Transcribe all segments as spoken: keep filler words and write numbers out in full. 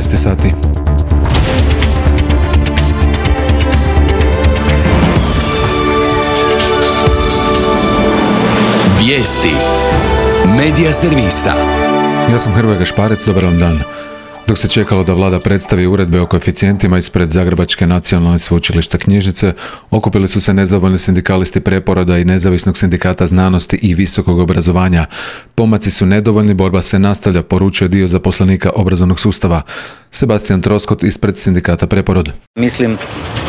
četrnaest sati. Vijesti Medija servisa. Ja sam Hrvoje Gašparec, dobar vam dan. Dok se čekalo da vlada predstavi uredbe o koeficijentima ispred Zagrebačke nacionalne sveučilišta knjižnice, okupili su se nezadovoljni sindikalisti Preporoda i Nezavisnog sindikata znanosti i visokog obrazovanja. Pomaci su nedovoljni, borba se nastavlja, poručuje dio zaposlenika obrazovnog sustava. Sebastian Troskot ispred sindikata Preporod. Mislim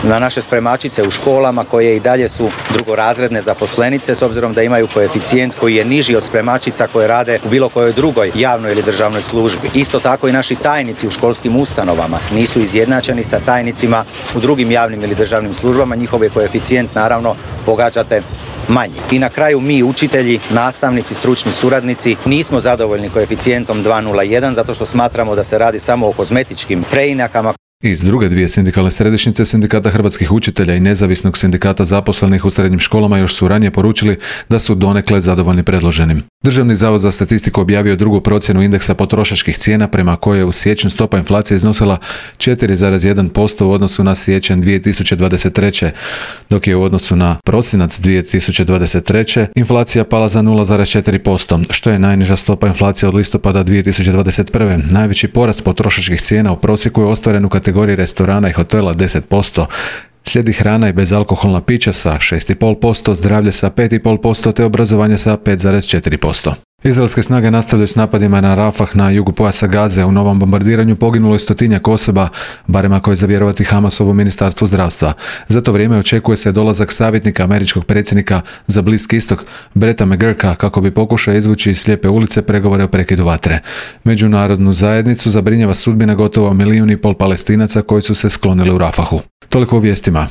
na naše spremačice u školama koje i dalje su drugorazredne zaposlenice s obzirom da imaju koeficijent koji je niži od spremačica koje rade u bilo kojoj drugoj javnoj ili državnoj službi. Isto tako i naši tajnici u školskim ustanovama nisu izjednačeni sa tajnicima u drugim javnim ili državnim službama. Njihov je koeficijent naravno pogađate manji. I na kraju mi, učitelji, nastavnici, stručni suradnici, nismo zadovoljni koeficijentom dva nula jedan zato što smatramo da se radi samo o kozmetičkim preinakama. Iz druge dvije sindikalne središnjice, Sindikata hrvatskih učitelja i Nezavisnog sindikata zaposlenih u srednjim školama, još su ranije poručili da su donekle zadovoljni predloženim. Državni zavod za statistiku objavio je drugu procjenu indeksa potrošačkih cijena prema kojoj je u siječnju stopa inflacije iznosila četiri zarez jedan posto u odnosu na siječanj dvije tisuće dvadeset treće, dok je u odnosu na prosinac dvije tisuće dvadeset treće inflacija pala za nula zarez četiri posto, što je najniža stopa inflacije od listopada dvije tisuće dvadeset prve. Najveći porast potrošačkih cijena u prosjeku je ostvaren u kategoriji restorana i hotela deset posto. Slijedi hrana i bezalkoholna pića sa šest zarez pet posto, zdravlje sa pet zarez pet posto te obrazovanje sa pet zarez četiri posto. Izraelske snage nastavljaju s napadima na Rafah na jugu pojasa Gaze. U novom bombardiranju poginulo je stotinjak osoba, barem ako je za vjerovati Hamasovo ministarstvo zdravstva. Za to vrijeme očekuje se dolazak savjetnika američkog predsjednika za Bliski istok, Bretta McGurka, kako bi pokušao izvući iz slijepe ulice pregovore o prekidu vatre. Međunarodnu zajednicu zabrinjava sudbina gotovo milijun i pol Palestinaca koji su se sklonili u Rafahu. Toliko u vijestima.